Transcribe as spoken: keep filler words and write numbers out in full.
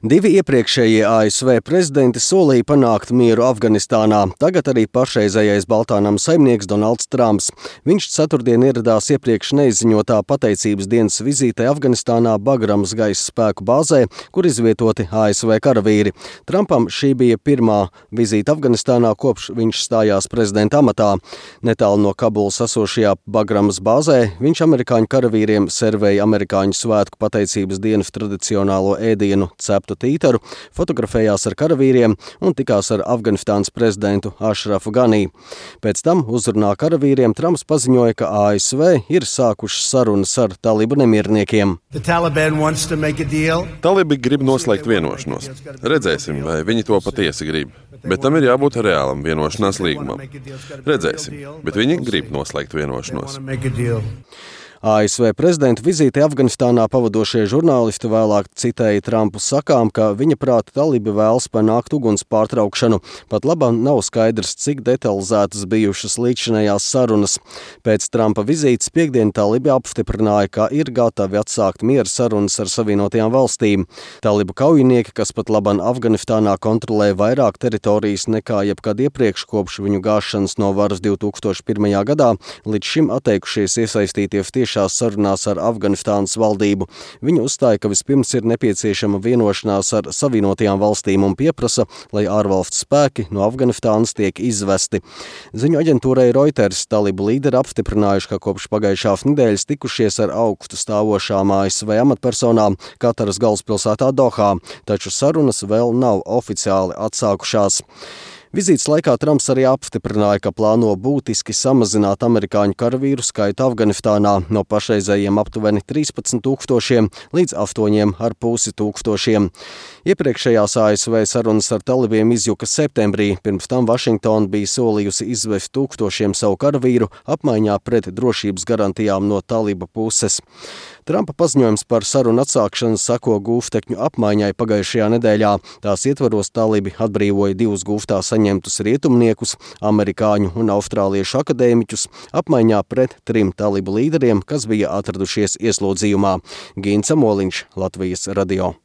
Divi iepriekšējie A S V prezidenti solīja panākt mieru Afganistānā. Tagad arī pašreizējais Baltānama saimnieks Donalds Trumps. Viņš ceturtdien ieradās iepriekš neizziņotā pateicības dienas vizītē Afganistānā Bagramas gaisa spēku bāzē, kur izvietoti A S V karavīri. Trumpam šī bija pirmā vizīte Afganistānā, kopš viņš stājās prezidenta amatā. Netālu no Kabulas esošajā Bagramas bāzē viņš amerikāņu karavīriem servēja amerikāņu svētku pateicības dienas tradicionālo ēdienu ceptu tītaru, fotografējās ar karavīriem un tikās ar Afganistānas prezidentu Ašrafu Ganī. Pēc tam uzrunā karavīriem Trumps paziņoja, ka A S V ir sākušas sarunas ar talibu nemierniekiem. Talibi grib noslēgt vienošanos. Redzēsim, vai viņi to patiesi grib. Bet tam ir jābūt reālam vienošanās līgumam. Redzēsim, bet viņi grib noslēgt vienošanos. A S V prezidenta vizīti Afganistānā pavadošie žurnālisti vēlāk citēja Trumpu sakām, ka viņa prāta talibi vēlas panākt uguns pārtraukšanu. Pat labam nav skaidrs, cik detalizētas bijušas līdzinējās sarunas. Pēc Trumpa vizītes piekdien talibi apstiprināja, ka ir gatavi atsākt miera sarunas ar Savienotajām valstīm. Talibu kaujinieki, kas pat labam Afganistānā kontrolē vairāk teritorijas nekā jebkad iepriekš kopš viņu gāšanas no varas divi tūkstoši pirmajā gadā, līdz šim atteikušies iesaistīties tieši šās sarunās ar Afganistānas valdību. Viņi uzstāja, ka vispirms ir nepieciešama vienošanās ar Savienotajām valstīm un pieprasa, lai ārvalstu spēki no Afganistānas tiek izvesti. Ziņu aģentūrai Reuters talibu līderi apstiprinājuši, ka kopš pagājušās nedēļas tikušies ar augstu stāvošām A S V amatpersonām Kataras galvaspilsētā Dohā, taču sarunas vēl nav oficiāli atsākušās. Vizītes laikā Trumps arī apstiprināja, ka plāno būtiski samazināt amerikāņu karavīru skaitu Afganistānā no pašreizējiem aptuveni trīspadsmit tūkstošiem līdz astoņiem ar pusi tūkstošiem. Iepriekšējās A S V sarunas ar talibiem izjuka septembrī, pirms tam Vašingtona bija solījusi izvest tūkstošiem savu karavīru apmaiņā pret drošības garantijām no taliba puses. Trumpa paziņojums par sarunu atsākšanu sako gūstekņu apmaiņai pagājušajā nedēļā. Tās ietvaros talibi atbrīvoja divus gūstā saņemtus rietumniekus, amerikāņu un austrāliešu akadēmiķus, apmaiņā pret trim talibu līderiem, kas bija atradušies ieslodzījumā. Gīns Amoliņš, Latvijas radio.